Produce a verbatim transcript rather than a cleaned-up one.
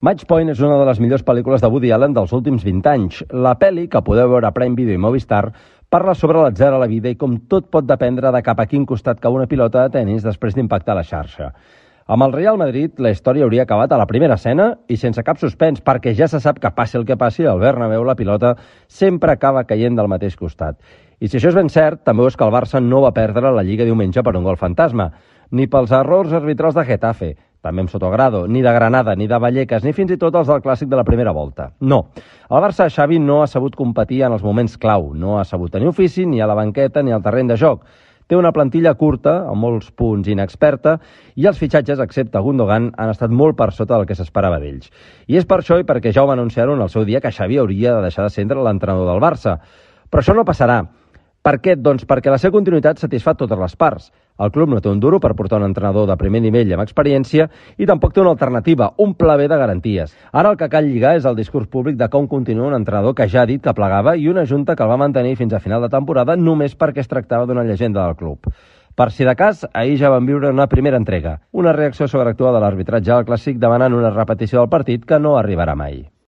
Match Point és una de les millors pel·lícules de Woody Allen dels últims vint anys. La pel·li, que podeu veure a Prime Video i Movistar, parla sobre l'atzar a la vida i com tot pot dependre de cap a quin costat cau una pilota de tennis després d'impactar la xarxa. Amb el Real Madrid, la història hauria acabat a la primera escena i sense cap suspens, perquè ja se sap que passi el que passi, al Bernabéu la pilota sempre acaba caient del mateix costat. I si això és ben cert, també és que el Barça no va perdre la Lliga diumenge per un gol fantasma, ni pels errors arbitrals de Getafe, també amb Sotogrado, ni de Granada, ni de Vallecas, ni fins i tot els del clàssic de la primera volta. No, el Barça de Xavi no ha sabut competir en els moments clau, no ha sabut tenir ofici ni a la banqueta ni al terreny de joc. Té una plantilla curta, amb molts punts inexperta, i els fitxatges, excepte Gundogan, han estat molt per sota del que s'esperava d'ells. I és per això i perquè ja ho va anunciar-ho en el seu dia que Xavi hauria de deixar de ser l'entrenador del Barça. Però això no passarà. Per què? Doncs perquè la seva continuïtat satisfà totes les parts. El club no té un duro per portar un entrenador de primer nivell amb experiència i tampoc té una alternativa, un pla B de garanties. Ara el que cal lligar és el discurs públic de com continua un entrenador que ja ha dit que plegava i una junta que el va mantenir fins a final de temporada només perquè es tractava d'una llegenda del club. Per si de cas, ahir ja van viure una primera entrega, una reacció sobreactuada de l'arbitratge al clàssic demanant una repetició del partit que no arribarà mai.